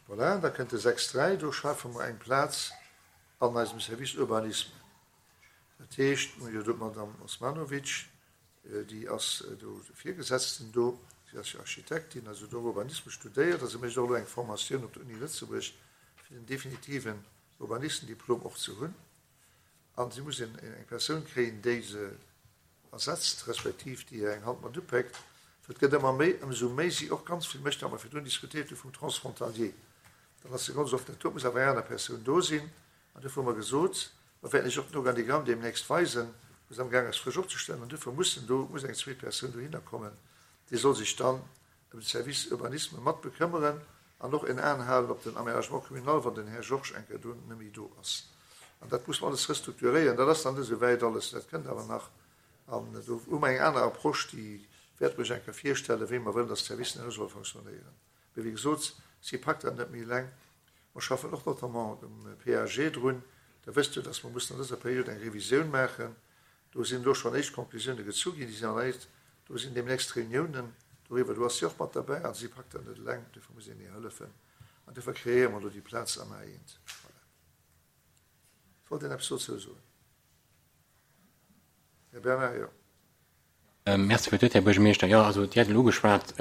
Voilà, da kënnt de 6, 3, do schafe mer eng Plaz an eisem Service Urbanisme. Dat heescht, mir hunn jo do d'Madame Osmanovic, déi ass do Virgesetzten do, si ass jo Architektin, also do Urbanisme studéiert a se mécht och elo eng Formatioun op der Uni Lëtzebuerg, fir den definitiven Urbanistendiplom och ze hunn. A si muss eng Persoun kréien, déi se ersetzt, respektiv déi hir eng Hand mat upéckt. Et gëtt ëmmer méi, ëmsou méi si och ganz vill mécht, wat mer virdrun diskutéiert hu vum Transfrontalier. Dann ass se ganz oft net do, et muss awer eng aner Persoun do sinn. An duerfir hu mer gesot, mer wäerten Iech och den Organigramm deemnächst weisen, wou se amgaang ass frësch opzestellen, an duerfir mussen do, muss eng zweet Persoun dohinner kommen, déi soll sech dann ëm de Service Urbanisme mat bekëmmeren an och en Aen halen op den Aménagement communal, wann den Här Georges eng Kéier do net méi do ass. An dat muss mer alles restrukturéieren. Dat ass nach net esou wäit alles, dat kënnt awer nach. An do hu mer eng aner Approche, déi wäerte mer iech eng Kéier virstellen, wéi mer wëllen, dass d'Servicen herno solle fonctionnéieren. Mee wéi gesot, si packt dat net méi eleng. Mer schaffen och notamment um PAG drun. Der wësst jo, dass mer mussen an dëser Period eng Revisioun maachen. Do sinn elo schonn éischt Conclusioune gezu ginn. Déi sinn an eis, do sinn deemnächst Reuniounen doriwwer. Do ass si och mat derbäi. Also si packt dat net eleng, duerfir muss een hir hëllefen. An duerfir kreéiere mer elo déi Plaz am A1. Voilà. Wollt een eppes dozou soen? Här Bernard, jo. Merci fir d'Wuert, Här Buergermeeschter. Jo, also Dir hat elo ugeschwat,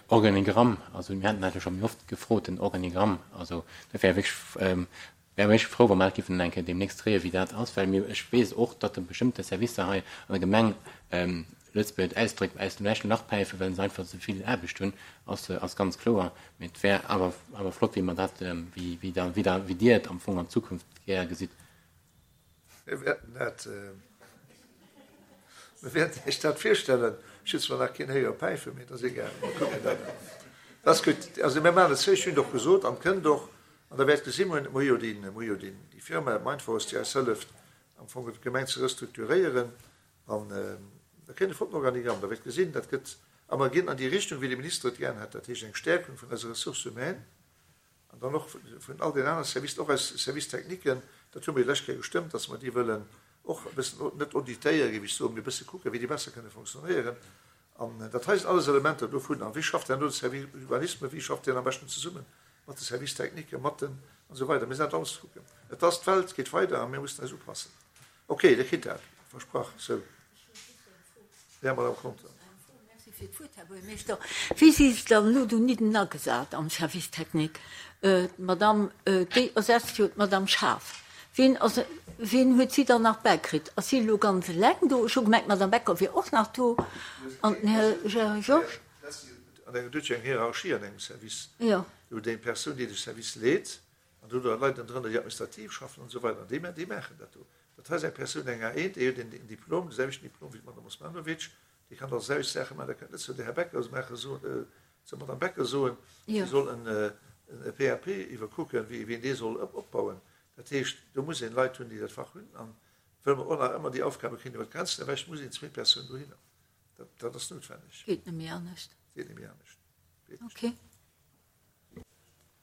Organigramm. Also mir haten dat jo scho méi oft gefrot, den Organigramm. Also dat wär wierklech, wär wierklech frou, wa mer dat géifen eng Kéier deemnächst kréien, wéi dat ass. Well mir, ech weess och, datt e bestëmmte Servicer hei an der Gemeng, Lëtzebuerg ausdréckt, aus dem leschten Lach päifen, well se einfach ze vill Aarbecht hunn, ass, ass ganz kloer. Mee et wär awer, awer flott, wéi mer dat, wéi, wéi da, wéi da, wéi Dir et am Fong an Zukunft gär gesitt. Mir wäerten dat, mir wäerten Iech dat virstellen. Ech hunn zwar nach keen héiere päifen, mee et ass egal, mir kucken dat an. Dat ass gutt. Also mir maachen et zou, ech hunn et och gesot an et kënnt och. An da wäert gesi, mir hunn, mir hu jo déi, mir hu jo déi, déi Firma Mindforce, déi eis hëlleft am Fong d'Gemeng ze restrukturéieren. An da kréien e flotten Organigramm. Da wäert gesinn, dat gëtt, a mer ginn an déi Richtung, wéi de Minister et gären hätt, dat heescht eng Stärkung vun eiser Ressources humaines an dann och vun all den anere Services, och eis Services techniquen, dat hu mir déi lescht Kéier gestëmmt, dass mer déi wëllen och e bëssen, net auditéieren, géif ech soen, mee e bësse kucken, wéi déi besser kënne fonctionnéieren. An dat hei sinn alles Elementer dovun. A wéi schafft herno de Service Urbanisme, wéi schafft deen am beschten zesumme mat de Services techniquen, mat den an esou weider. Mir sinn dat alles kucken. Et ass, d'Welt geet weider a mir mussen eis upassen. Ok, Dir kritt dat, versprach. Sou, Här Madame Conter. Merci fir d'Wuert, Här Buergermeeschter. Wéi si se dann elo donidden agesat am Service technique? D'Madame, déi ersetzt jo d'Madame Schaaf. Wien ass, wien huet si dann nach bäikritt? Ass si elo ganz eleng do? Ech hu gemengt, d'Madame Becker wier och nach do an den Här Gérard Georges. An engem, do huet jo eng Hierarchie an engem Service. Jo. Do huet eng Persoun, déi de Service leet, An do hunn Leit ënnendrënner, déi administrativ schaffen an esou weider. An déi, déi maachen dat do. Dat hei ass eng Persoun, eng A1, déi huet en Diplom, de selwechten Diplom wéi d'Madame Osmanovic, déi kann also selwecht Saache maachen. Da kënnt net zu der Här Becker maachen, soen, zur Madame Becker soen, si soll en PAP iwwerkucken, wéi een dee soll opbauen. Dat heescht, do muss een Leit hunn, déi dat Fach hunn. An wëll mer och nach ëmmer déi Aufgabe kréien iwwer d'Grenzen ewech, muss een zweet Persoun dohinner. Dat, dat ass noutwenneg. Geet net méi anescht. Geet net méi anescht. Okay.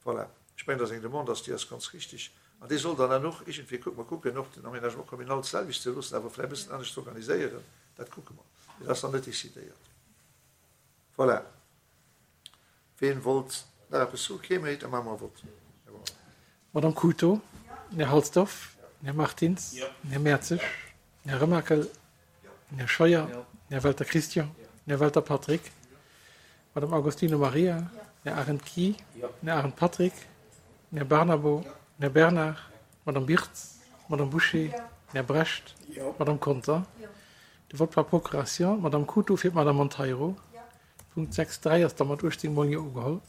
Voilà, ech mengen, dass eng Demande ass, déi ass ganz richtig. An déi soll dann dann och iergendwéi, kucke mer kucken, och den Aménagement communal d'selwecht ze loossen, awer vläicht e bëssen anescht ze organiséieren. Dat kucke mer. Mee dat ass nach net decidéiert. Voilà. Ween wollt nach eppes soen? Kee méi? Da maache mer e Vott. Här Bauer. Madame Cruto, Här Halsdorf, Här Martins, Här Mertzig, Här Remakel, Här Scheuer, Här Welter Christian, Här Welter Patrick, Madame Agostino Maria, Här Arendt Guy, Här Arendt Patrick, Här Barnabo, Här Bernard, Madame Birtz, Madame Bouché, Här Brecht, Madame Conter. De Vote par procuration, d'Madame Cruto fir d'Madame Monteiro. Punkt 6.3 ass da mat 18 mol Jo ugeholl.